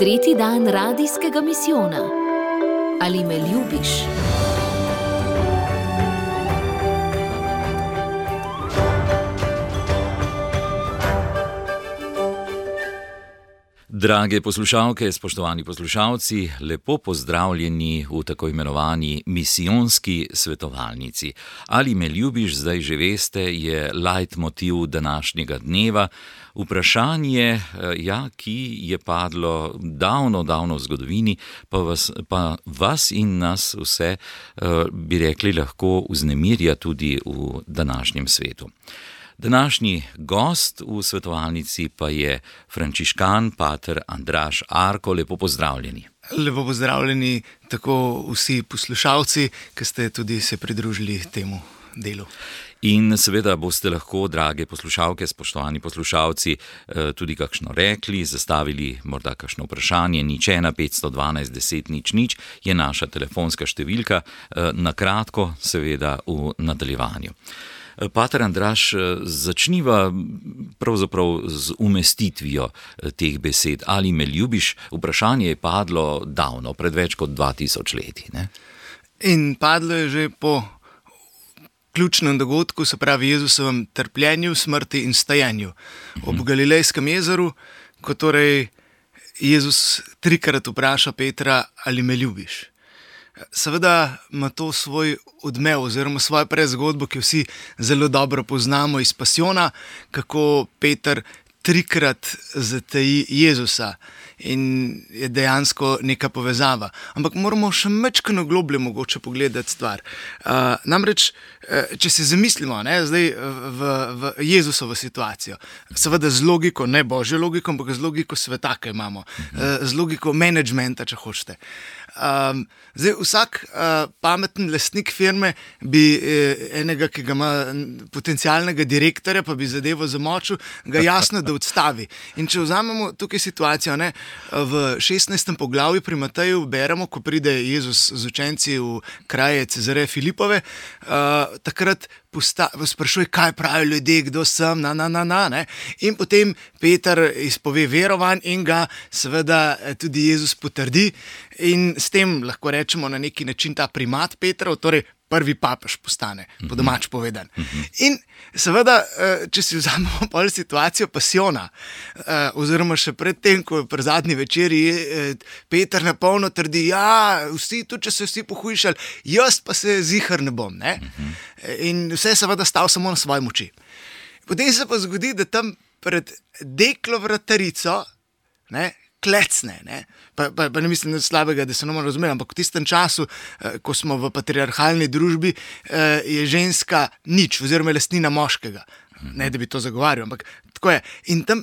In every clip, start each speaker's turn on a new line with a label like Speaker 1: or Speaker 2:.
Speaker 1: Tretji dan radijskega misijona. Ali me ljubiš?
Speaker 2: Drage poslušalke, spoštovani poslušalci, lepo pozdravljeni v tako imenovani misijonski svetovalnici. Ali me ljubiš, zdaj že veste, je leitmotiv današnjega dneva. Vprašanje, ki je padlo davno v zgodovini, pa vas in nas vse, bi rekli, lahko vznemirja tudi v današnjem svetu. Današnji gost v svetovalnici pa je frančiškan pater Andraž Arko. Lepo pozdravljeni.
Speaker 3: Lepo pozdravljeni tako vsi poslušalci, ki ste tudi se pridružili temu delu.
Speaker 2: In seveda boste lahko, drage poslušalke, spoštovani poslušalci, tudi kakšno rekli, zastavili morda kakšno vprašanje. 01 512 10 00 je naša telefonska številka, na kratko seveda v nadaljevanju. Pater Andraž, začniva pravzaprav z umestitvijo teh besed. Ali me ljubiš? Vprašanje je padlo davno, pred več kot 2000 leti. Ne?
Speaker 3: In padlo je že po ključnem dogodku, se pravi Jezusovem trpljenju, smrti in stajanju. Ob Galilejskem jezeru, ko torej Jezus trikrat vpraša Petra, ali me ljubiš? Seveda ima to svoj odmev oziroma svojo prezgodbo, ki vsi zelo dobro poznamo iz Pasijona, kako Peter trikrat zateji Jezusa in je dejansko neka povezava. Ampak moramo še majčkeno globlje mogoče pogledati stvar. Namreč, če se zamislimo zdaj v Jezusovo situacijo, seveda z logiko, ne božjo logiko, ampak z logiko sveta, ki imamo, z logiko menedžmenta, če hočete. Zdaj, vsak pameten lastnik firme bi enega, ki ga ima potencialnega direktorja, pa bi zadevo zamočil, ga jasno, da odstavi. In če vzamemo tukaj situacijo, v 16. poglavju pri Mateju beremo, ko pride Jezus z učenci v kraje Cezareje Filipove, takrat sprašuje, kaj pravijo ljudje, kdo sem, in potem Peter izpove verovanj in ga seveda tudi Jezus potrdi in s tem lahko rečemo na neki način ta primat Petrov, torej prvi papež postane, po domač povedan. In seveda, če si vzamemo pol situacijo Pasijona, oziroma še pred tem, ko pri zadnji večeri Peter na polno trdi, vsi, tudi če se vsi pohujšali, jaz pa se zihar ne bom. In vse je seveda stal samo na svoji moči. Potem se pa zgodi, da tam pred deklo vratarico klecne. Pa ne mislim slabega, da se ne bomo razumeli, ampak v tistem času, ko smo v patriarhalni družbi, je ženska nič, oziroma lastnina moškega. Ne, da bi to zagovarjal, ampak tako je. In tam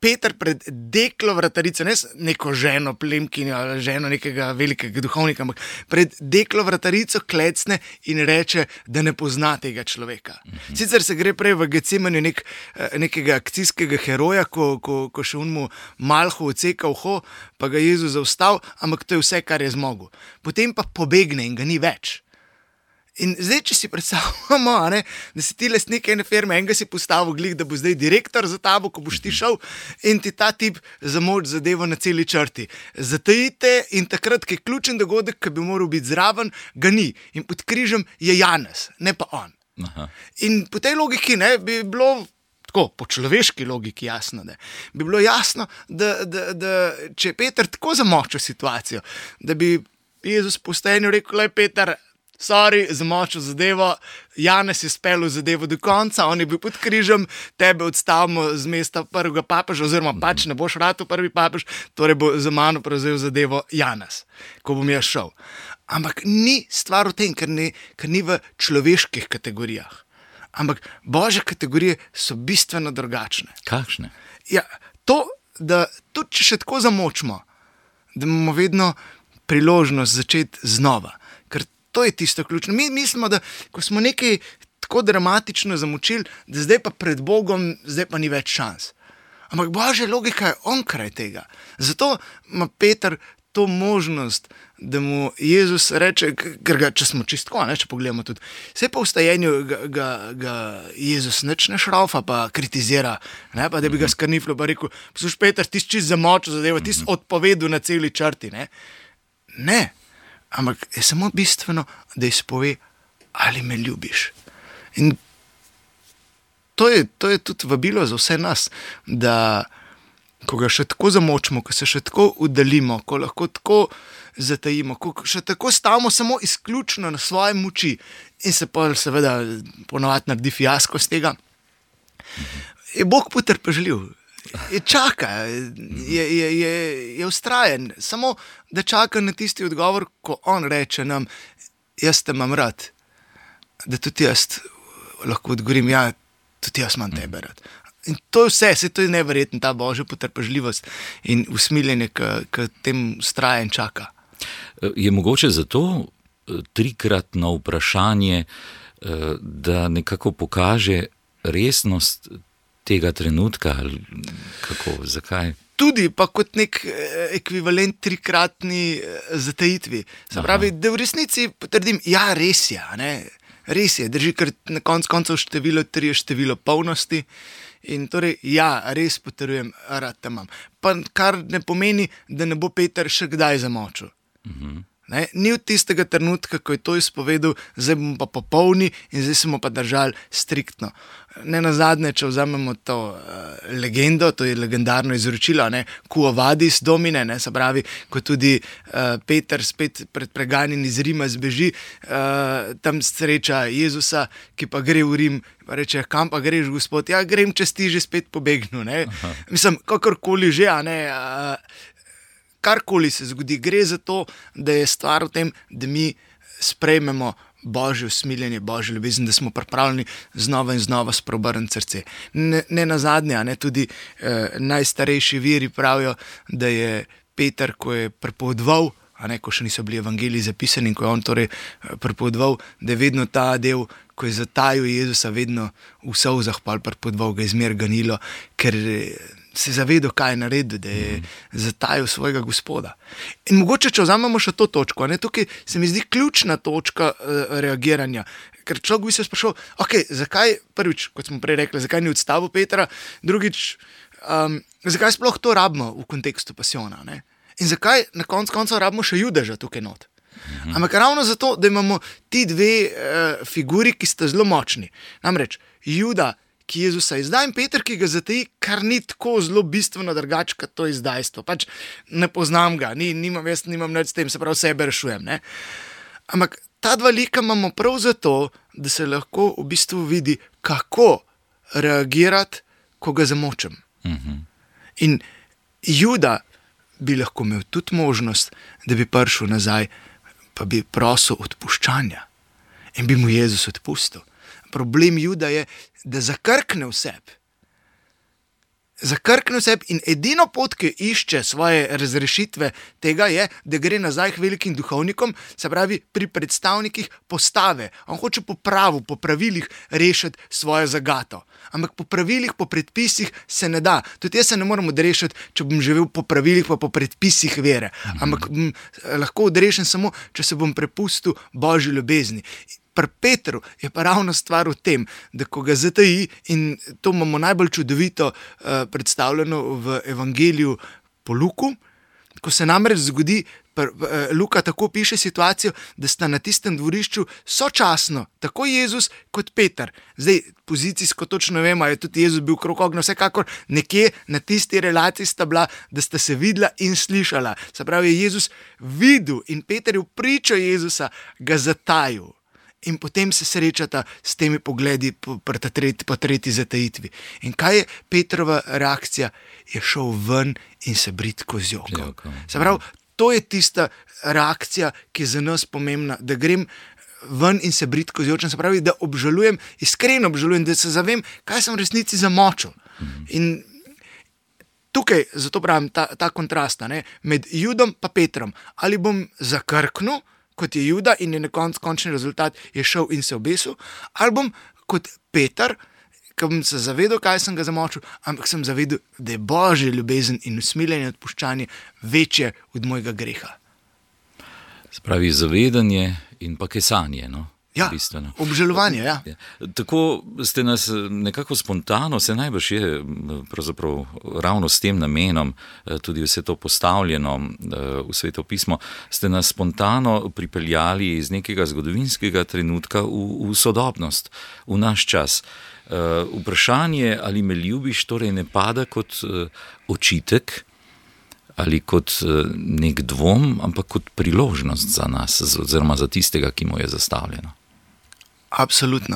Speaker 3: Peter pred deklo vratarico, ne neko ženo plemkinjo ali ženo nekega velikega duhovnika, ampak pred deklo vratarico klecne in reče, da ne pozna tega človeka. Sicer se gre prej v Getsemanju nekega akcijskega heroja, ko še unmu malho odseka uho, pa ga Jezus zaustav, ampak to je vse, kar je zmogel. Potem pa pobegne in ga ni več. In zdaj, če si predstavljamo, da si ti lastnik ene firme, enega si postavil glih, da bo zdaj direktor za tabo, ko boš ti šel in ti ta tip zamoč zadevo na celi črti. Zatajite in takrat, ki je ključen dogodek, ki bi moral biti zraven, ga ni. In pod križem je Janez, ne pa on. Aha. In po tej logiki bi bilo, tako po človeški logiki jasno, bi bilo jasno, da če je Peter tako zamočil situacijo, da bi Jezus po stajanju rekel, Peter, sorry, zamočil zadevo, Janez je speljal zadevo do konca, on je bil pod križem, tebe odstavimo z mesta prvega papeža, oziroma pač ne boš ratal prvi papež, torej bo za mano prevzel zadevo Janez, ko bom jaz šel. Ampak ni stvar v tem, ker ni v človeških kategorijah. Ampak božje kategorije so bistveno drugačne.
Speaker 2: Kakšne?
Speaker 3: Ja, to, da tudi če še tako zamočimo, da imamo vedno priložnost začeti znova. To je tisto ključno. Mi mislimo, da ko smo nekaj tako dramatično zamočili, da zdaj pa pred Bogom, zdaj pa ni več šans. Ampak božja logika je onkraj tega. Zato ima Peter to možnost, da mu Jezus reče, ker ga, če smo čistko, če pogledamo tudi, vse po vstajenju ga Jezus nič ne šraufa, pa kritizira, ne, pa da bi ga skrniflo, pa rekel, posluš Peter, ti si čist zamočil zadevo, ti si odpovedal na celi črti, ne, ampak je samo bistveno, da izpove, ali me ljubiš. In to je tudi vabilo za vse nas, da ko ga še tako zamočimo, ko se še tako udalimo, ko lahko tako zatajimo, ko še tako stavimo samo izključno na svoje moči in se pa seveda ponovadi naredi fiasko z tega, je Bog potrpežljiv, je čaka, je vztrajen, samo da čaka na tisti odgovor, ko on reče nam, jaz te imam rad, da tudi jaz lahko odgovorim, ja, tudi jaz imam tebe rad. In to je vse, to je neverjetno, ta Božja potrpežljivost in usmiljenje, ki tem vztraja in čaka.
Speaker 2: Je mogoče zato trikratno vprašanje, da nekako pokaže resnost tega trenutka, ali kako, zakaj?
Speaker 3: Tudi pa kot nek ekvivalent trikratni zatajitvi. Se pravi, da v resnici potrdim, ja, res je, res je, drži, ker na koncu število 3 je število polnosti. In torej, ja, res potrjujem, rad te imam. Pa kar ne pomeni, da ne bo Peter še kdaj zamočil. Ni od tistega trenutka, ko je to izpovedal, zdaj bomo pa popolni in zdaj smo pa držali striktno. Ne nazadnje, če vzamemo to legendo, to je legendarno izročilo, Quo vadis Domine, se pravi, ko tudi Peter spet pred preganjem iz Rima zbeži, tam sreča Jezusa, ki pa gre v Rim, pa reče, kam pa greš, Gospod? Ja, grem, če si že spet pobegnil. Mislim, kakorkoli že, karkoli se zgodi, gre za to, da je stvar v tem, da mi sprejmemo Božje usmiljenje, Božjo ljubezen, da smo pripravljeni znova in znova spreobrniti srce. Ne nazadnje, tudi najstarejši viri pravijo, da je Peter, ko je prepovedoval, ko še niso bili evangeliji zapisani in ko je on torej prepovedoval, da je vedno ta del, ko je zatajil Jezusa, vedno v solzah prepovedoval, ga je zmer ganilo, ker se je zavedal, kaj je naredil, da je zatajil svojega Gospoda. In mogoče, če vzamemo še to točko, tukaj se mi zdi ključna točka reagiranja, ker človek bi se sprašal, zakaj, prvič, kot smo prej rekli, zakaj ni odstavil Petra, drugič, zakaj sploh to rabimo v kontekstu pasijona, in zakaj na koncu rabimo še Judeža tukaj not. Ampak ravno zato, da imamo ti dve figuri, ki sta zelo močni. Namreč, Juda, ki Jezusa izda, in Peter, ki ga zataji, kar ni tako zelo bistveno drugače, kot to izdajstvo. Pač ne poznam ga, jaz nimam nič s tem, se pravi, sebe rešujem. Ampak ta dva lika imamo prav zato, da se lahko v bistvu vidi, kako reagirati, ko ga zamočem. In Juda bi lahko imel tudi možnost, da bi prišel nazaj, pa bi prosil odpuščanja in bi mu Jezus odpustil. Problem Juda je, da zakrkne v sebi. Zakrkne v sebi in edino pot, ki išče svoje razrešitve tega je, da gre nazaj k velikim duhovnikom, se pravi pri predstavnikih postave. On hoče po pravu, po pravilih rešiti svojo zagato. Ampak po pravilih, po predpisih se ne da. Tudi jaz se ne morem odrešiti, če bom živel po pravilih, pa po predpisih vere. Ampak lahko odrešen samo, če se bom prepustil Božji ljubezni. Pri Petru je pa ravno stvar v tem, da ko ga zataji, in to imamo najbolj čudovito predstavljeno v evangeliju po Luku, ko se namreč zgodi, Luka tako piše situacijo, da sta na tistem dvorišču sočasno tako Jezus kot Peter. Zdaj, pozicijsko točno vemo, je tudi Jezus bil krog ognja, vsekakor nekje na tisti relaciji sta bila, da sta se videla in slišala. Se pravi, je Jezus videl in Peter je v pričo Jezusa ga zatajil. In potem se srečata s temi pogledi po tretji zatajitvi. In kaj je Petrova reakcija? Je šel ven in se bridko zjokal. Se pravi, to je tista reakcija, ki je za nas pomembna, da grem ven in se bridko zjočem, se pravi, da obžalujem, iskreno obžalujem, da se zavem, kaj sem v resnici zamočil. In tukaj, zato pravim, ta kontrast med Judom pa Petrom. Ali bom zakrknil, kot je Juda, in je na končni rezultat je šel in se obesil, ali bom kot Peter, ko sem se zavedal, kaj sem ga zamočil, ampak sem zavedal, da je Božja ljubezen in usmiljenje in odpuščanje večje od mojega greha.
Speaker 2: Spravi zavedanje in pa kesanje, no?
Speaker 3: Ja,
Speaker 2: bistveno.
Speaker 3: obžalovanje, ja.
Speaker 2: Tako ste nas nekako spontano, se najbrž je pravzaprav ravno s tem namenom, tudi vse to postavljeno v Sveto pismo, ste nas spontano pripeljali iz nekega zgodovinskega trenutka v sodobnost, v naš čas. Vprašanje, ali me ljubiš, torej ne pada kot očitek ali kot nek dvom, ampak kot priložnost za nas, oziroma za tistega, ki mu je zastavljeno.
Speaker 3: Absolutno,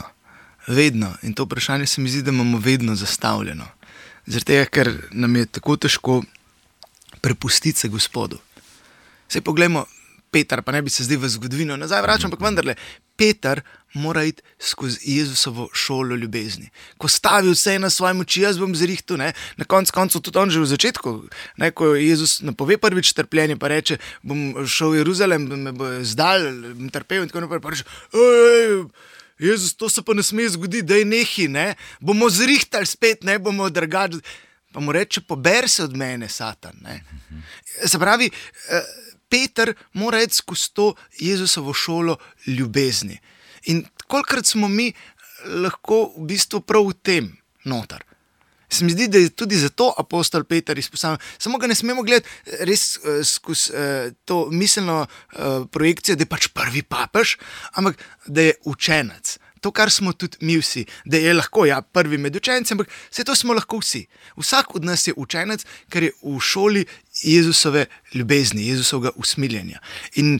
Speaker 3: vedno. In to vprašanje se mi zdi, da imamo vedno zastavljeno. Zaradi tega, ker nam je tako težko prepustiti se Gospodu. Saj poglejmo, Peter, pa ne bi se zdaj v zgodovino nazaj vračal, ampak vendarle, Peter mora iti skozi Jezusovo šolo ljubezni. Ko stavi vse na svoje moči, jaz bom zrihtal, ne? Na koncu tudi on že v začetku, ne? Ko Jezus napove prvič trpljenje, pa reče, bom šel v Jeruzalem, me bo zdal, bom trpel in tako naprej, pa reče, Jezus, to se pa ne sme zgoditi, daj nehi, ne? Bomo zrihtali spet, ne? Bomo drugače. Pa mu reče, pober se od mene, Satan, ne? Se pravi, Peter mora iti skozi to Jezusovo šolo ljubezni. In kolikrat smo mi lahko v bistvu prav v tem noter. Se mi zdi, da je tudi zato apostol Peter izpostavljen. Samo ga ne smemo gledati res skozi to miselno projekcijo, da je pač prvi papež, ampak da je učenec. To, kar smo tudi mi vsi, da je lahko prvi med učenci, ampak vse to smo lahko vsi. Vsak od nas je učenec, ker je v šoli Jezusove ljubezni, Jezusovega usmiljenja. In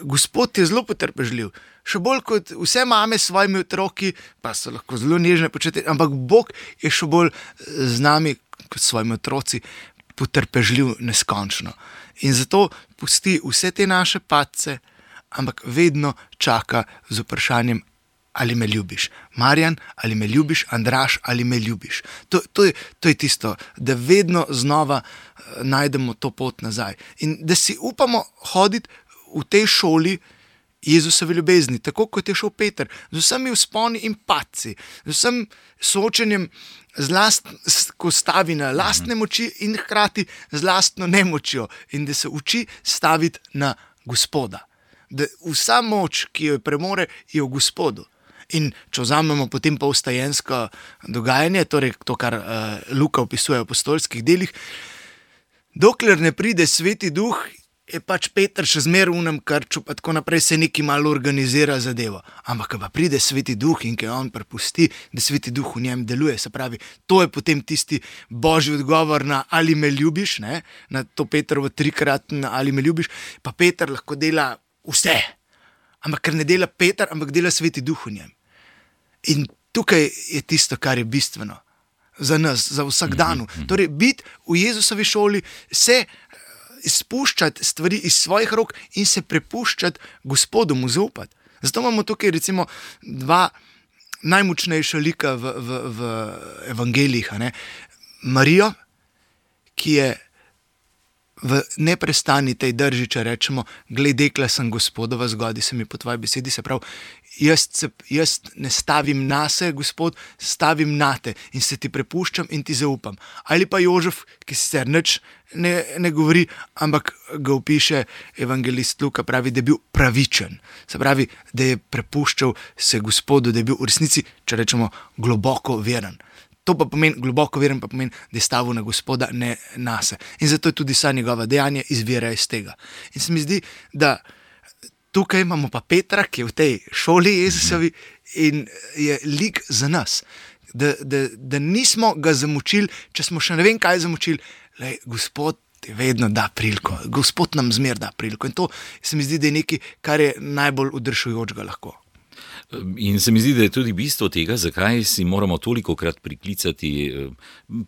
Speaker 3: Gospod je zelo potrpežljiv. Še bolj kot vse mame s svojimi otroki, pa so lahko zelo nežne početi, ampak Bog je še bolj z nami kot s svojimi otroci potrpežljiv neskončno. In zato pusti vse te naše padce, ampak vedno čaka z vprašanjem, ali me ljubiš. Marjan, ali me ljubiš? Andraž, ali me ljubiš? To je tisto, da vedno znova najdemo to pot nazaj. In da si upamo hoditi v tej šoli Jezusove ljubezni, tako kot je šel Peter, z vsemi vzponi in padci, z vsem soočenjem ko stavi na lastne moči in hkrati z lastno nemočjo in da se uči staviti na Gospoda. Da vsa moč, ki jo premore, je v Gospodu. In če vzamemo potem pa vstajensko dogajanje, torej to, kar Luka opisuje v apostolskih delih, dokler ne pride Sveti Duh, je pač Peter še zmeraj v unem krču, pa tako naprej se neki malo organizira zadevo. Ampak, ko pa pride Sveti Duh in ko on prepusti, da Sveti Duh v njem deluje, se pravi, to je potem tisti Božji odgovor na ali me ljubiš, ne? Na to Petrovo trikratno ali me ljubiš, pa Peter lahko dela vse. Ampak ker ne dela Peter, ampak dela Sveti Duh v njem. In tukaj je tisto, kar je bistveno za nas, za vsak dan. Torej, biti v Jezusovi šoli, se izpuščati stvari iz svojih rok in se prepuščati Gospodu, mu zaupati. Zato imamo tukaj recimo dva najmočnejša lika v evangelijih. Marijo, ki je v neprestani tej drži, če rečemo, glej, dekla sem Gospodova, zgodi se mi po tvoji besedi, se pravi, jaz ne stavim nase, Gospod, stavim nate in se ti prepuščam in ti zaupam. Ali pa Jožef, ki sicer nič ne govori, ampak ga opiše evangelist Luka, pravi, da je bil pravičen. Se pravi, da je prepuščal se Gospodu, da je bil v resnici, če rečemo, globoko veren. To pa pomeni, globoko veren pa pomeni, da je stavil na Gospoda, ne nase. In zato je tudi vsa njegova dejanja izvira iz tega. In se mi zdi, da tukaj imamo pa Petra, ki je v tej šoli Jezusovi in je lik za nas. Da nismo ga zamučili, če smo še ne vem kaj zamučili, lej, Gospod ti vedno da priliko, Gospod nam zmer da priliko. In to se mi zdi, da je nekaj, kar je najbolj udršujočega lahko.
Speaker 2: In se mi zdi, da je tudi bistvo tega, zakaj si moramo tolikokrat priklicati,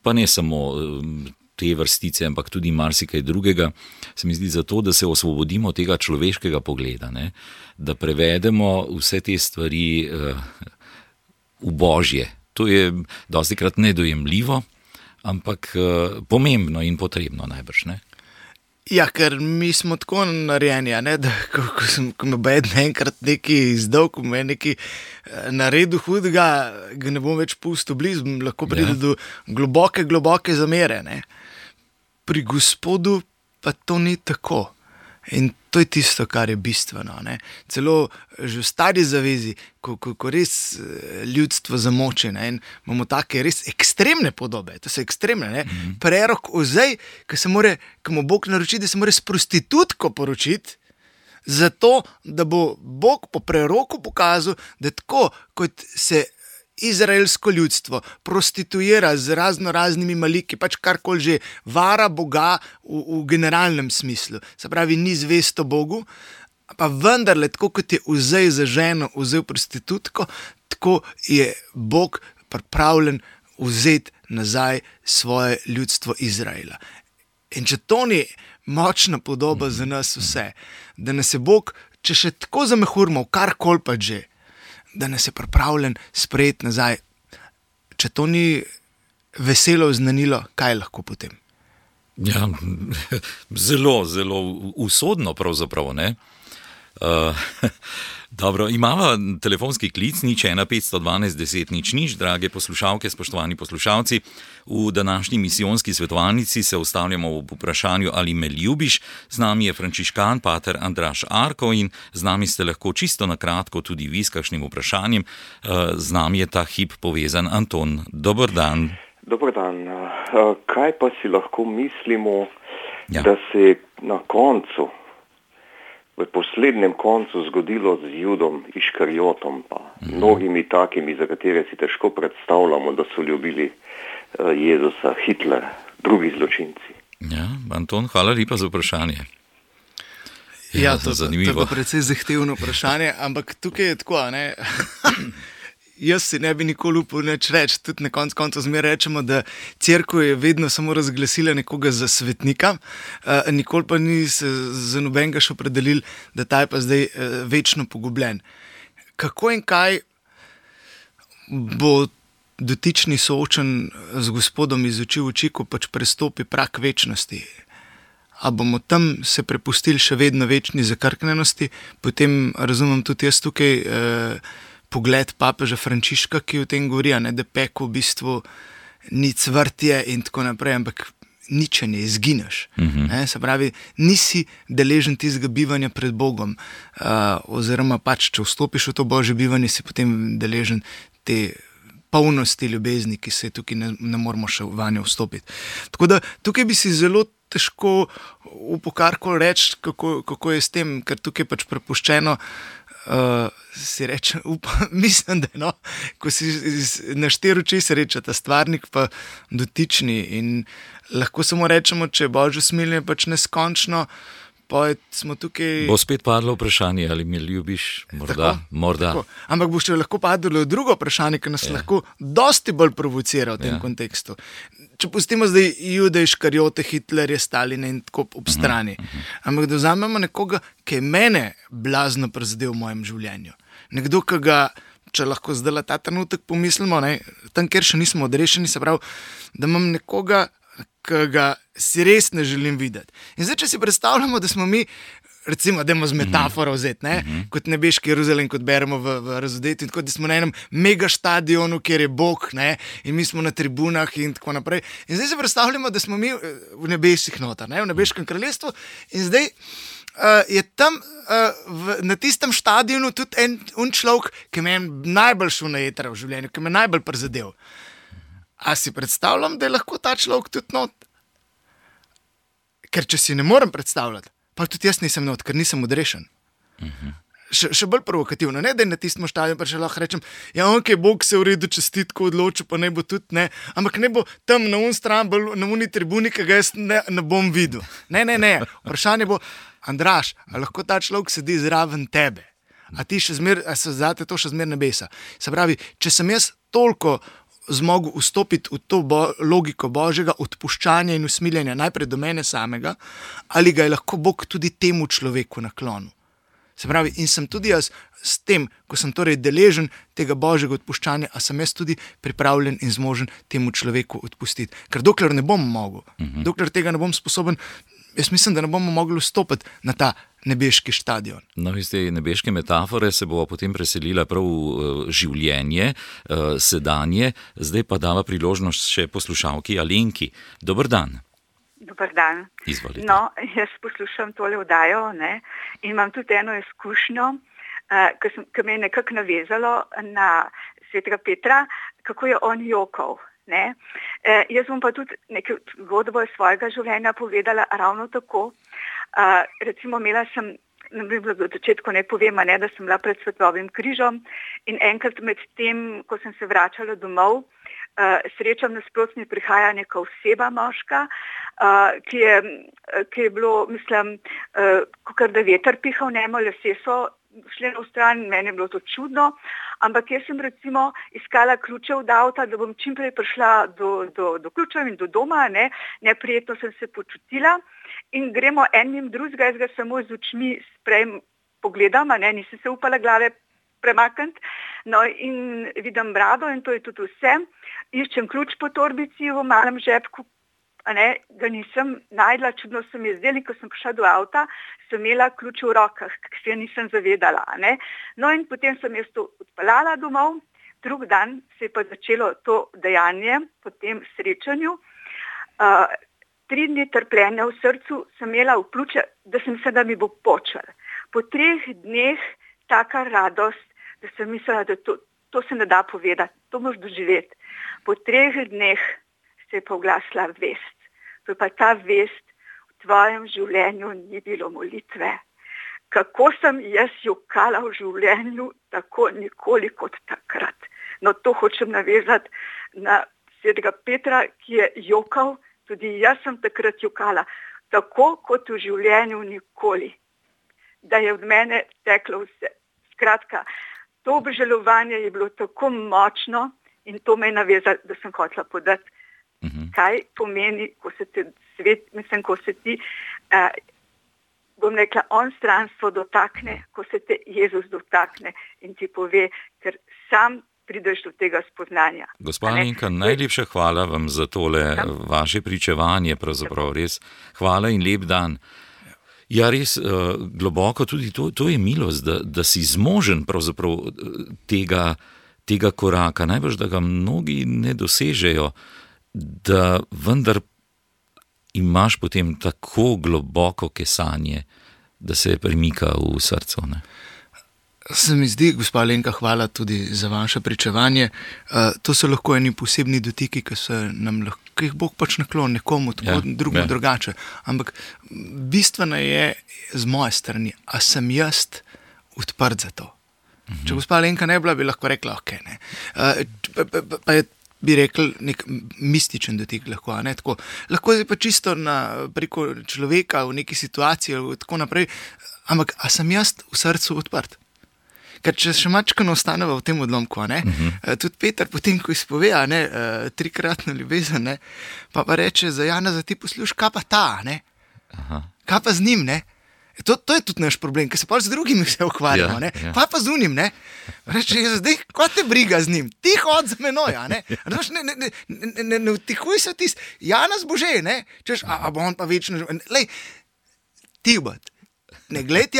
Speaker 2: pa ne samo te vrstice, ampak tudi marsikaj drugega, se mi zdi zato, da se osvobodimo tega človeškega pogleda, ne? Da prevedemo vse te stvari v Božje. To je dostikrat nedojemljivo, ampak pomembno in potrebno najbrž, ne?
Speaker 3: Ja, ker mi smo tako narejeni, da ko me bo enkrat nekaj izdal, ko me je nekaj naredil hudega, ga ne bom več pustil blizu, lahko pride do globoke zamere. Ne. Pri Gospodu pa to ni tako. In to je tisto, kar je bistveno. Ne. Celo že v stari zavezi, ko res ljudstvo zamoči, ne, in imamo take res ekstremne podobe, to so ekstremne, ne. Prerok Ozej, ko mu Bog naroči, da se mora s prostitutko poročiti, zato, da bo Bog po preroku pokazal, da tako, kot se izraelsko ljudstvo prostituira z raznimi maliki, pač karkoli že vara Boga v generalnem smislu. Se pravi, ni zvesto Bogu, pa vendarle, tako kot je Ozej za ženo vzel prostitutko, tako je Bog pripravljen vzeti nazaj svoje ljudstvo Izraela. In če to ni močna podoba za nas vse, da nas je Bog, če še tako zamehurmo, karkoli pa že, da nas je pripravljen sprejeti nazaj. Če to ni veselo oznanilo, kaj lahko potem?
Speaker 2: Ja, zelo, zelo usodno pravzaprav, ne? Dobro, imamo telefonski klic, 015121000, drage poslušalke, spoštovani poslušalci. V današnji misijonski svetovalnici se ustavljamo v vprašanju, ali me ljubiš. Z nami je frančiškan pater Andraž Arko in z nami ste lahko čisto na kratko tudi vi s kakšnim vprašanjem. Z nami je ta hip povezan Anton. Dober dan.
Speaker 4: Dober dan. Kaj pa si lahko mislimo, da se na koncu, v poslednjem koncu zgodilo z Judom Iškarjotom, pa mnogimi takimi, za katere si težko predstavljamo, da so ljubili Jezusa, Hitler, drugi zločinci.
Speaker 2: Ja, Anton, hvala lepa za vprašanje.
Speaker 3: Ja, to je pa precej zahtevno vprašanje, ampak tukaj je tako, ne? Jaz si ne bi nikoli upal nič reči, tudi na koncu zmeraj rečemo, da cerkev je vedno samo razglasila nekoga za svetnika, nikoli pa ni se za nobenega še opredelil, da ta je pa zdaj večno pogubljen. Kako in kaj bo dotični soočen z Gospodom iz oči v oči, ko pač prestopi prag večnosti? A bomo tam se prepustili še vedno večni zakrknenosti, potem razumem tudi jaz tukaj pogled papeža Frančiška, ki o tem govori, da peko v bistvu ni cvrtje in tako naprej, ampak ničenje, izgineš. Se pravi, nisi deležen tistega bivanja pred Bogom, oziroma pač, če vstopiš v to Božje bivanje, si potem deležen te polnosti ljubezni, ki se tukaj ne moramo še vanjo vstopiti. Tako da tukaj bi si zelo težko upal karkoli reči, kako je s tem, ker tukaj je pač prepuščeno. Si reče, mislim, da ko si na štiri oči se reče ta stvarnik pa dotični in lahko samo rečemo, če je Božje smiljenje pač neskončno, pa smo tukaj...
Speaker 2: Bo spet padlo vprašanje, ali me ljubiš, morda.
Speaker 3: Tako. Ampak bo še lahko padlo drugo vprašanje, ki nas lahko dosti bolj provocira v tem kontekstu. Če pustimo zdaj Jude, Iškarjote, Hitlerje, Staline in tako ob strani. Ampak da vzamemo nekoga, ki je mene blazno prizadel v mojem življenju. Nekdo, ki ga, če lahko zdaj ta trenutek pomislimo, tam, kjer še nismo odrešeni, se pravi, da imam nekoga, ki ga si res ne želim videti. In zdaj, če si predstavljamo, da smo mi, recimo, dajmo z metaforo vzeti, kot nebeški Jeruzalem, kot beremo v Razodetju, in tako, da smo na enem mega štadionu, kjer je Bog, in mi smo na tribunah in tako naprej. In zdaj se predstavljamo, da smo mi v nebesih notar, v nebeškem kraljestvu, in zdaj je tam na tistem štadionu tudi en človek, ki me je najbolj šel na jetra v življenju, ki me je najbolj prizadel. A si predstavljam, da je lahko ta človek tudi not? Ker če si ne morem predstavljati, pa tudi jaz nisem not, ker nisem odrešen. Še bolj provokativno, da je na tistem štadionu, pa še lahko rečem, Bog se v redu čestitko odločil, pa ne bo tudi, ampak ne bo tam na stran, na uni tribuni, ki ga jaz ne bom videl. Ne. Vprašanje bo, Andraž, a lahko ta človek sedi zraven tebe? A se zate to še zmer nebesa? Se pravi, če sem jaz toliko zmogel vstopiti v to logiko Božjega odpuščanja in usmiljenja najprej do mene samega, ali ga je lahko Bog tudi temu človeku naklonil. Se pravi, in sem tudi jaz s tem, ko sem torej deležen tega Božjega odpuščanja, a sem jaz tudi pripravljen in zmožen temu človeku odpustiti. Ker dokler ne bom mogel, dokler tega ne bom sposoben, jaz mislim, da ne bomo mogli vstopiti na ta nebeški štadion.
Speaker 2: No, iz te nebeške metafore se bo potem preselila prav v življenje, sedanje, zdaj pa dava priložnost še poslušalki Alenki. Dober dan.
Speaker 5: Dober dan.
Speaker 2: Izvolite.
Speaker 5: No, jaz poslušam tole oddajo, ne, in imam tudi eno izkušnjo, ki me je nekako navezalo na svetega Petra, kako je on jokal. Ne. Jaz bom pa tudi nekaj zgodbo iz svojega življenja povedala ravno tako. Recimo imela sem, v začetku ne povem, da sem bila pred Svetovim križom in enkrat med tem, ko sem se vračala domov, srečam nasprotno prihaja neka oseba moška, ki je bilo, mislim, kakor da veter pihal, lasje so šli na stran, meni je bilo to čudno, ampak jaz sem recimo iskala ključe od avta, da bom čim prej prišla do ključev in do doma, neprijetno sem se počutila in gremo en mimo drugega, jaz ga samo z očmi pogledam, nisem se upala glave premakniti, no in vidim brado in to je tudi vse, iščem ključ po torbici v malem žepku, ga nisem najdla, čudno se mi je zdelo, ko sem prišla do avta, sem imela ključ v rokah, ki se je nisem zavedala. No in potem sem jaz to odpeljala domov, drug dan se je pa začelo to dejanje po tem srečanju. 3 dni trpljenja v srcu sem imela v pljuče, da sem mislila, da mi bo počel. Po 3 dneh taka radost, da sem mislila, da to se ne da povedati, to moraš doživeti. Po 3 dneh se je pa oglasila vest. To je pa ta vest, v tvojem življenju ni bilo molitve. Kako sem jaz jokala v življenju, tako nikoli kot takrat. No, to hočem navezati na svetega Petra, ki je jokal, tudi jaz sem takrat jokala, tako kot v življenju nikoli. Da je od mene teklo vse. Skratka, to obžalovanje je bilo tako močno in to me je navezalo, da sem hotela podati, kaj pomeni, ko se te svet, mislim, ko se ti, bom rekla, onstranstvo dotakne, ko se te Jezus dotakne in ti pove, ker sam prideš do tega spoznanja.
Speaker 2: Gospa Alenka, najlepša hvala vam za tole vaše pričevanje, pravzaprav res. Hvala in lep dan. Ja, res globoko tudi to je milost, da si zmožen pravzaprav tega koraka. Najbrž, da ga mnogi ne dosežejo, da vendar imaš potem tako globoko kesanje, da se premika v srcu. Ne?
Speaker 3: Se mi zdi, gospa Alenka, hvala tudi za vaše pričevanje. To so lahko eni posebni dotiki, ki jih Bog pač nakloni nekomu, tako drugemu drugače. Ampak bistveno je z moje strani, a sem jaz odprt za to. Če gospa Alenka ne bila, bi lahko rekla, ok, ne. Pa je bi rekel, nek mističen dotik lahko, tako. Lahko je pa čisto preko človeka v neki situaciji ali tako naprej, ampak a sem jaz v srcu odprt? Ker če še mačkano ostaneva v tem odlomku, tudi Peter potem, ko izpove 3-kratno ljubezen, pa reče za Janeza, ti posluš, kaj pa ta, kaj pa z njim, To je tudi naš problem, ker se pa z drugimi vse ukvarjamo, Kaj pa z unim, Reče, zdaj, kaj te briga z njim? Ti hod za menoj, Ne vtihuj se tisti, Janez bo že, Češ, a bo on pa večno, lej, ti bod, ne gled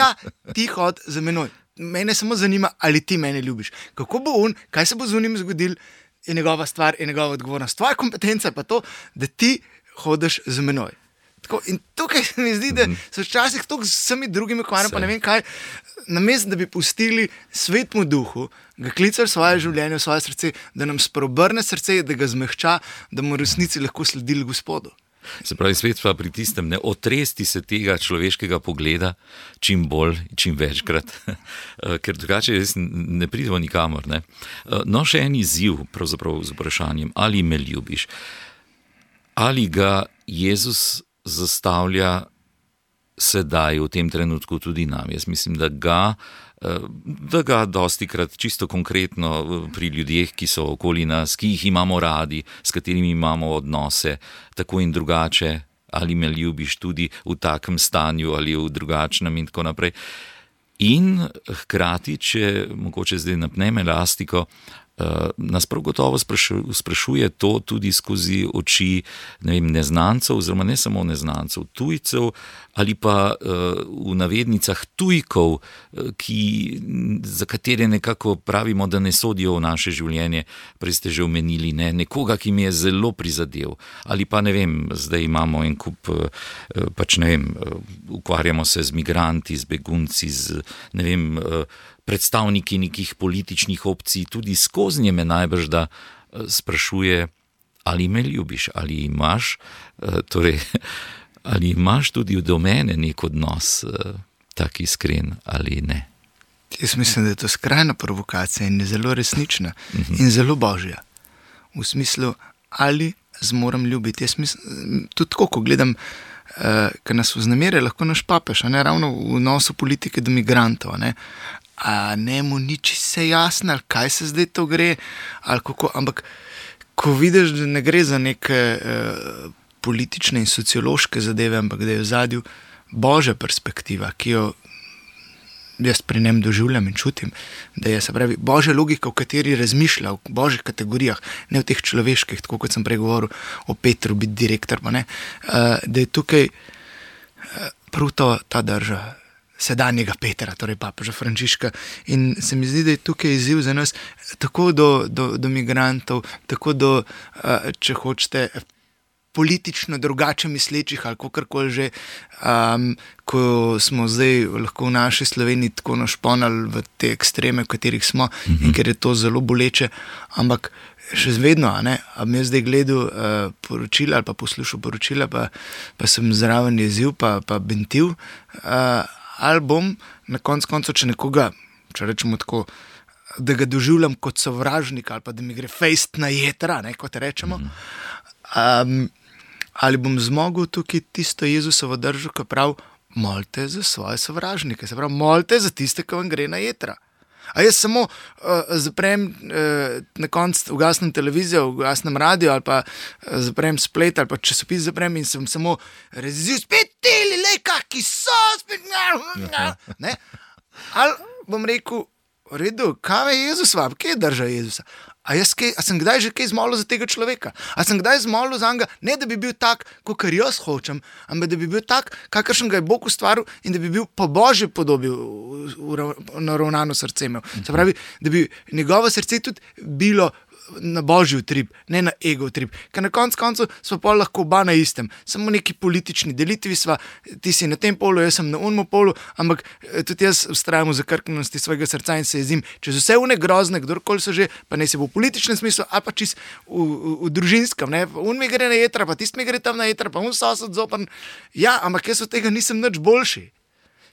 Speaker 3: ti hod za menoj. Mene samo zanima, ali ti mene ljubiš. Kako bo on, kaj se bo z unim zgodil, je njegova stvar, je njegova odgovornost. Tvoja kompetenca pa to, da ti hodiš za menoj. Tako, in tukaj se mi zdi, da so včasih to z vsemi drugimi ukvarjami, pa ne vem kaj, namesto da bi pustili svetmu duhu, ga klicali v svoje življenje, v svoje srce, da nam spreobrne srce, da ga zmehča, da mu v resnici lahko sledili Gospodu.
Speaker 2: Se pravi, svet pa pri tistem, ne otresti se tega človeškega pogleda čim bolj, čim večkrat, ker drugače res ne pridemo nikamor. Ne? No, še en izziv pravzaprav z vprašanjem, ali me ljubiš? Ali ga Jezus zastavlja sedaj v tem trenutku tudi nam? Jaz mislim, da ga dostikrat čisto konkretno pri ljudeh, ki so okoli nas, ki jih imamo radi, s katerimi imamo odnose, tako in drugače, ali me ljubiš tudi v takem stanju ali v drugačnem in tako naprej. In hkrati, če mogoče zdaj napnem elastiko, nas prav gotovo sprašuje to tudi skozi oči neznancev, oziroma ne samo neznancev, tujcev ali pa v navednicah tujkov, za katere nekako pravimo, da ne sodijo v naše življenje. Prej ste že omenili, nekoga, ki mi je zelo prizadel. Ali pa zdaj imamo en kup, ukvarjamo se z migranti, z begunci, z predstavniki nekih političnih opcij, tudi skoznje me najbrž da sprašuje, ali me ljubiš, ali imaš tudi do mene nek odnos tak iskren ali ne.
Speaker 3: Jaz mislim, da je to skrajna provokacija in je zelo resnična in zelo božja. V smislu, ali zmorem ljubiti. Jaz mislim, tudi tako, ko gledam, ker nas vznemirja lahko naš papež, ravno v odnosu politike do migrantov, a ne mu ni čisto jasno, ali kaj se zdaj to gre, ali kako, ampak ko vidiš, da ne gre za neke politične in sociološke zadeve, ampak da je v zadju božja perspektiva, ki jo jaz pri njem doživljam in čutim, da je, se pravi, božja logika, v kateri razmišlja, v božjih kategorijah, ne v teh človeških, tako kot sem prej govoril o Petru, biti direktor, da je tukaj prav ta drža sedanjega Petra, torej papeža Frančiška, in se mi zdi, da je tukaj izziv za nas tako do migrantov, tako do, če hočete, politično drugače mislečih ali kakorkoli že, ko smo zdaj lahko v naši Sloveniji tako našponali v te ekstreme, v katerih smo, in ker je to zelo boleče, ampak še vedno, am jaz zdaj gledal poročila ali pa poslušal poročila, pa sem zraven jezil, pa bentil, ali bom na koncu, če nekoga, če rečemo tako, da ga doživljam kot sovražnik, ali pa da mi gre fejst na jetra, kot rečemo, ali bom zmogel tukaj tisto Jezusovo držo, ki pravi, molite za svoje sovražnike, se pravi, molite za tiste, ki vam gre na jetra. A jaz samo zaprem na koncu, ugasnem televizijo, ugasnem radio, ali pa zaprem splet, ali pa časopis zaprem in sem samo razil, spet teli, kaki so, spet ne. Ali bom rekel, v redu, kaj je Jezus vam, kje je drža Jezusa? A sem kdaj že kaj zmolil za tega človeka? A sem kdaj zmolil za njega, ne da bi bil tak, kakor jaz hočem, ampak da bi bil tak, kakršen ga je Bog ustvaril in da bi bil po božji podobi naravnano srce imel. Se pravi, da bi njegovo srce tudi bilo na božji utrip, ne na ego utrip. Ker na koncu smo pa lahko oba na istem. Samo neki politični delitvi sva, ti si na tem polu, jaz sem na unmu polu, ampak tudi jaz vztrajam v zakrknjenosti svojega srca in se jezim čez vse une grozne, kdorkoli so že, pa ne se bo v političnem smislu, ali pa čist v družinskem, un mi gre na jetra, pa tist mi gre tam na jetra, pa un sosed zopan. Ja, ampak jaz od tega nisem nič boljši.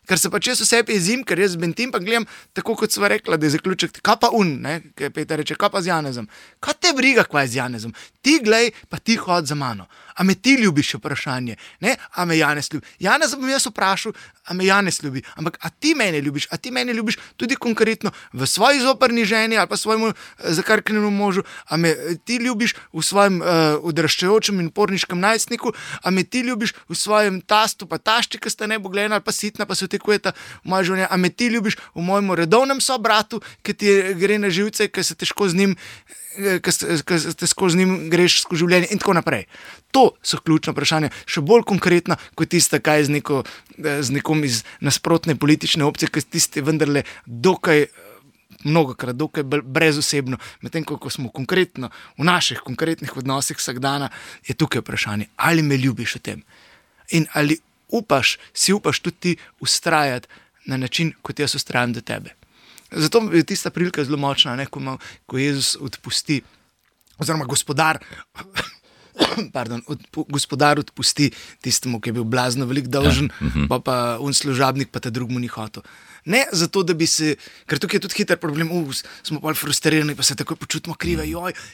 Speaker 3: Ker se pa čez vse jezim, ker jaz bentim, pa gledam, tako kot sva rekla, da je zaključek, kaj pa kaj Peter reče, kaj pa z Janezom? Kaj te briga, kaj je z Janezom? Ti glej, pa ti hod za mano. A me ti ljubiš, vprašanje, ne? A me Janez ljubi? Janez bom jaz vprašal, a me Janez ljubi? Ampak a ti mene ljubiš? A ti mene ljubiš tudi konkretno v svoji zoprni ženi ali pa svojemu zakrknjenemu možu? A me ti ljubiš v svojem odraščajočem in porniškem najstniku? A me ti ljubiš v svojem tastu, pa tašči, ki sta nebogljena ali pa sitna, pa se tekujeta v moje življenje? A me ti ljubiš v mojem redovnem sobratu, ki ti gre na živce, ki se težko z njim skozi njim greš skozi življenje in tako naprej. To so ključna vprašanja, še bolj konkretna kot tista, kaj z nekom iz nasprotne politične opcije, ki tiste vendarle mnogokrat dokaj brezosebno, medtem ko smo konkretno v naših konkretnih odnosih vsak dana, je tukaj vprašanje, ali me ljubiš v tem in ali si upaš tudi ti ustrajati na način, kot jaz ustrajam do tebe. Zato je tista prilika zelo močna, ko Jezus odpusti, oziroma gospodar odpusti tistemu, ki je bil blazno veliko dolžen, pa služabnik, pa ta drug mu ni hotel. Ne zato, da bi se, ker tukaj je tudi hiter problem, smo pa frustrirani, pa se takoj počutimo krive,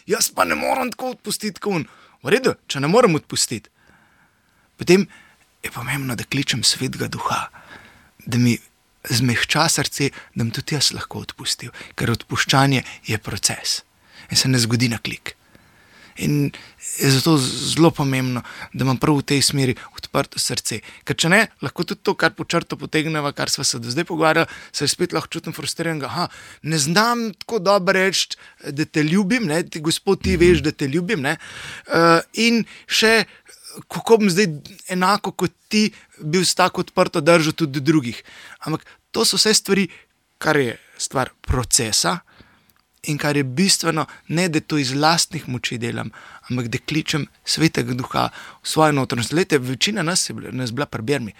Speaker 3: jaz pa ne moram tako odpustiti, kot v redu, če ne moram odpustiti. Potem je pomembno, da kličem svetega duha, da mi zmehča srce, da mi tudi jaz lahko odpustil, ker odpuščanje je proces in se ne zgodi na klik. In je zato zelo pomembno, da imam prav v tej smeri odprto srce. Ker če ne, lahko tudi to, kar po črto potegneva, kar sva se do zdaj pogovarjala, se spet lahko čutim frustriranega. Ne znam tako dobro reči, da te ljubim, ne? Gospod, ti veš, da te ljubim. Ne? In še, kako bom zdaj enako kot ti bil s tako odprto držo tudi do drugih. Ampak to so vse stvari, kar je stvar procesa, in kar je bistveno, ne da to iz lastnih moči delam, ampak da kličem Svetega Duha v svojo notranjost. Glejte, večina nas je bila pri Bermi.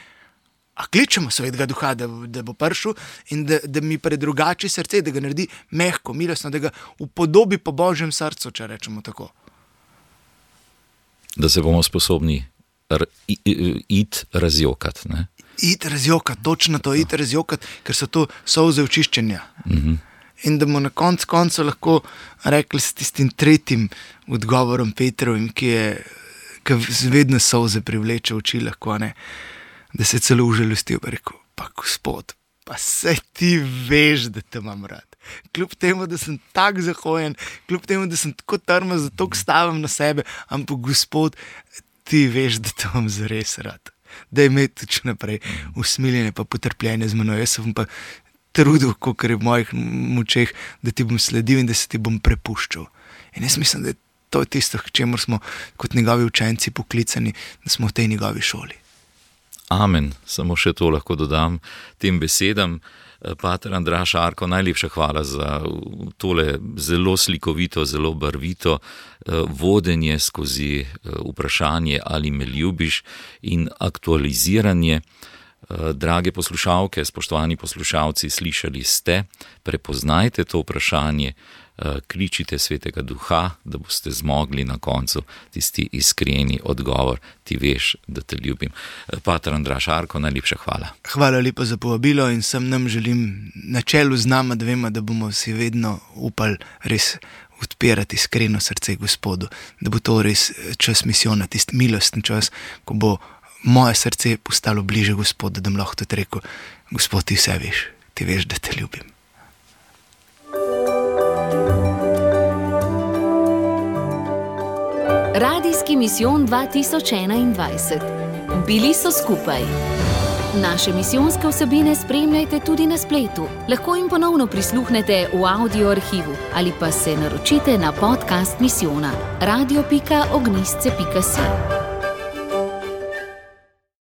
Speaker 3: A kličemo Svetega Duha, da bo prišel in da mi predrugači srce, da ga naredi mehko, milostno, da ga upodobi po Božjem srcu, če rečemo tako.
Speaker 2: Da se bomo sposobni iti razjokati, ne?
Speaker 3: Iti razjokati, točno to, iti razjokati, ker so to solze očiščenja. In da bomo na koncu lahko rekli s tistim tretjim odgovorom Petrovim, ki vedno solze privleče oči lahko, ne? Da se celo užalostil, pa rekel, pa Gospod, pa saj ti veš, da te imam rad. Kljub temu, da sem tak zahojen, kljub temu, da sem tako trmast, da toliko stavim na sebe, ampak Gospod, ti veš, da te imam zares rad. Da je imeti tudi naprej usmiljenje pa potrpljenje z menoj. Jaz sem pa trudil, kolikor je v mojih močeh, da ti bom sledil in da se ti bom prepuščal. In jaz mislim, da je to tisto, k čemur smo kot njegovi učenci poklicani, da smo v tej njegovi šoli.
Speaker 2: Amen. Samo še to lahko dodam tem besedam. Pater Andraž Arko, najlepša hvala za tole zelo slikovito, zelo barvito vodenje skozi vprašanje, ali me ljubiš, in aktualiziranje. Drage poslušalke, spoštovani poslušalci, slišali ste, prepoznajte to vprašanje, kličite Svetega Duha, da boste zmogli na koncu tisti iskreni odgovor, ti veš, da te ljubim. Pater Andraž Arko, najlepša hvala.
Speaker 3: Hvala lepa za povabilo in sem nam želim na čelu z nama dvema, da bomo si vedno upali res odpirati iskreno srce Gospodu, da bo to res čas misijona, tisti milostni čas, ko bo moje srce postalo bliže Gospodu, da bom lahko tudi rekel, Gospod, ti vse veš, ti veš, da te ljubim.
Speaker 1: Radijski misijon 2021. Bili so skupaj. Naše misijonske vsebine spremljajte tudi na spletu. Lahko jim ponovno prisluhnete v audio arhivu ali pa se naročite na podcast misijona radio.ognistce.si.